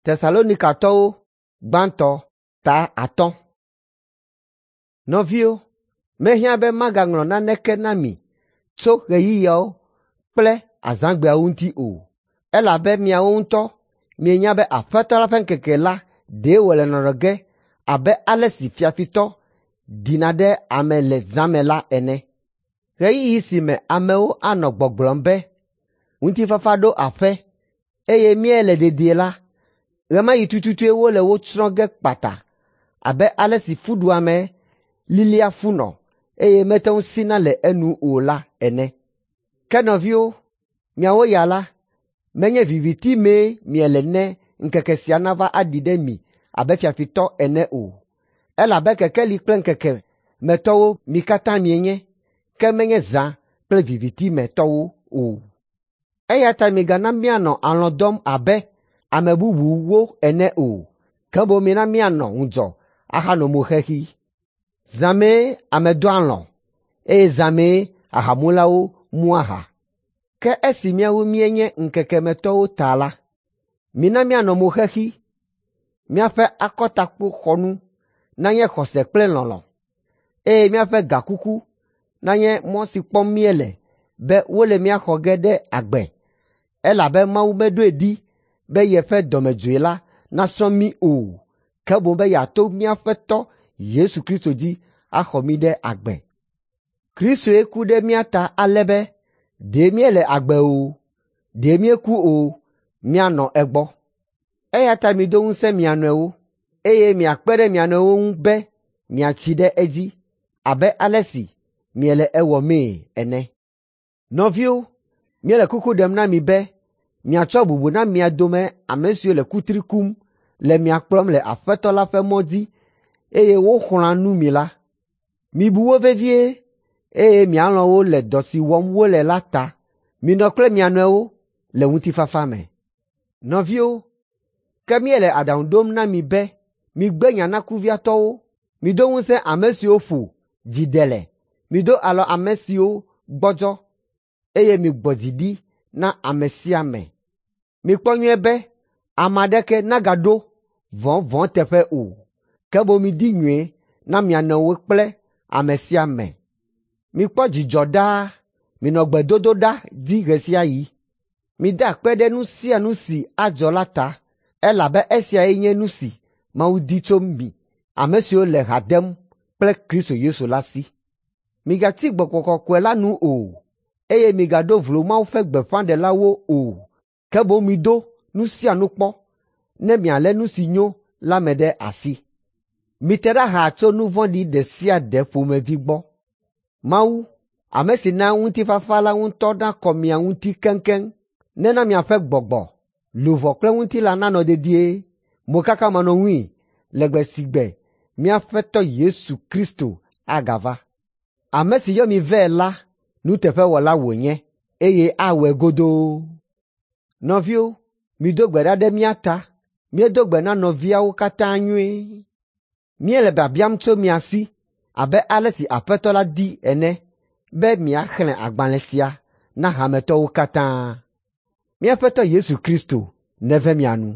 Tesalonikatɔwo gbãtɔ ta 5. Nɔviwo, mehiã be magaŋlɔ naneke na mi tso ɣeyiɣiawo kple azãgbeawo ŋuti o, elabe miawo ŋutɔ mienya be Aƒetɔ la ƒe ŋkeke la ɖe wòle nɔnɔ ge abe ale si fiafitɔ ɖina ɖe ame le zã me la ene. Ɣeyiɣi si me amewo anɔ gbɔgblɔm be, “Ŋutifafa ɖo aƒe eye míele dedie la,” ɣe ma ɣi tututue wole wo tsrɔ̃ ge kpata abe ale si fuɖuame lilia funɔ eye mete ŋu sina le enu o la ene. Ke nɔviwo, miawo ya la, menye viviti mee miele ne ŋkeke sia nava aɖi ɖe mi abe fiafitɔ ene o, elabe kekeli kple ŋkeke me tɔwo mi katã mienye, ke menye zã kple viviti me tɔwo o. Eya ta migana míanɔ alɔ̃ dɔm abe ame bubuwo ene o, ke boŋ mina míanɔ ŋudzɔ ahanɔ mo xexi. Zã mee ame dɔa alɔ̃ eye zã mee ahamulawo mua aha. Ke esi míawo míenye ŋkekemetɔwo ta la, mina míanɔ mo xexi, míaƒe akɔtakpoxɔnu nanye xɔse kple lɔlɔ̃, eye míaƒe gakuku nanye mɔ si kpɔm míele be wole mía xɔ ge ɖe agbe, elabe Mawu meɖoe ɖi be yeƒe dɔmedzoe la nasrɔ̃ mí o, ke boŋ be yeato mía Aƒetɔ Yesu Kristo dzi axɔ mí ɖe agbe. Kristoe ku ɖe mía ta ale be ɖe míele agbe o, ɖe míeku o, míanɔ egbɔ. Eya ta mido ŋusẽ mia nɔewo, eye miakpe ɖe mia nɔewo ŋu be miatsi ɖe edzi abe ale si miele ewɔmee ene. Nɔviwo, míele kuku ɖem na mi be miatsɔ bubu na mia dome ame siwo le kutri kum le mia kplɔm le Aƒetɔ la ƒe mɔ dzi eye woxlɔ̃a nu mi la. Mibu wo vevie eye mialɔ̃ wo le dɔ si wɔm wole la ta. Minɔ kple mia nɔewo le ŋutifafa me. Nɔviwo, ke míele aɖaŋu ɖom na mi be migbe nya na kuviatɔwo, mido ŋusẽ ame siwo ƒo dzi ɖe le, mido alɔ ame siwo gbɔdzɔ eye migbɔ dzi ɖi na ame sia ame. Mikpɔ nyuie be ame aɖeke nagaɖo vɔ̃ vɔ̃ teƒe o, ke boŋ midi nyui na mia nɔewo kple ame sia ame. Mikpɔ dzidzɔ ɖaa, minɔ gbedodoɖa dzi ɣe sia ɣi. Mida akpe ɖe nu sia nu si adzɔ la ta, elabe esiae nye nu si Mawu di tso mi ame siwo le ha dem kple Kristo Yesu la si. Migatsi Gbɔgbɔ Kɔkɔe la nu o, eye migaɖo vlo Mawu ƒe gbeƒãɖelawo o, ke boŋ mido nu sia nu kpɔ ne mialé nu si nyo la me ɖe asi. Mite ɖa xaa tso nu vɔ̃ɖi ɖe sia ɖe ƒomevi gbɔ. Mawu, ame si na ŋutifafa la ŋutɔ nakɔ mia ŋuti keŋkeŋ, nena miaƒe gbɔgbɔ, luʋɔ kple ŋutilã nanɔ dedie, mokakamanɔŋui le gbe si gbe mía Aƒetɔ Yesu Kristo agava. Ame si yɔ mi vɛ la nuteƒewɔla wònye eye awɔe godoo. Nɔviwo, mido gbe ɖa ɖe mía ta. Míedo gbe na nɔviawo katã nyuie. Míele biabiam tso mia si abe ale si Aƒetɔ la di ene be miaxlẽ agbalẽ sia na hametɔwo katã. Mía Aƒetɔ Yesu Kristo neve mia nu.